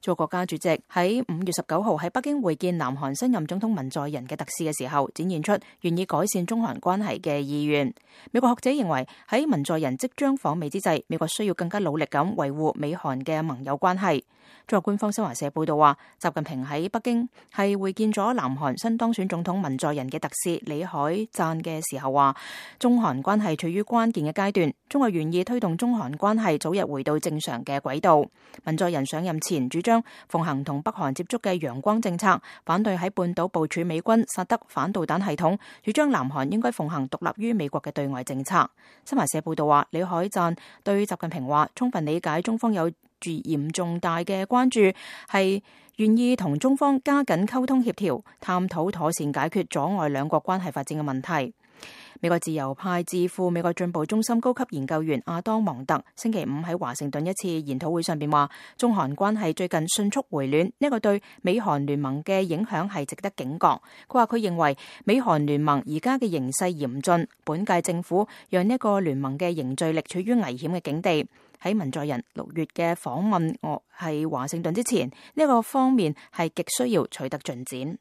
中國國家主席喺5月19號喺北京會見南韓新任總統文在寅嘅特使嘅時候，展現出願意改善中韓關係嘅意願。美國學者認為喺文在寅即將訪美之際，美國需要更加努力咁維護美韓嘅盟友關係。中國官方新華社報道話，習近平喺北京係會見咗南韓新當選總統文在寅嘅特使李海贊嘅時候話，中韓關係處於關鍵嘅階段，中國願意推動中韓關係早日回到正常嘅軌道。文在寅上任前主張奉行同北韓接觸嘅陽光政策，反對喺半島部署美軍薩德反導彈系統，主張南韓應該奉行獨立於美國嘅對外政策。新華社報道話，李海贊對習近平話，充分理解中方有住嚴重大嘅關注，係願意同中方加緊溝通協調，探討妥善解決阻礙兩國關係發展嘅問題。美國自由派智庫美國進步中心高級研究員阿當蒙特星期五喺華盛頓一次研討會上邊話，中韓關係最近迅速回暖，呢個對美韓聯盟嘅影響係值得警覺。佢話佢認為美韓聯盟而家嘅形勢嚴峻，本屆政府讓呢個聯盟嘅凝聚力處於危險嘅境地。喺文在寅6月嘅訪問係華盛頓之前，呢個方面係極需要取得進展。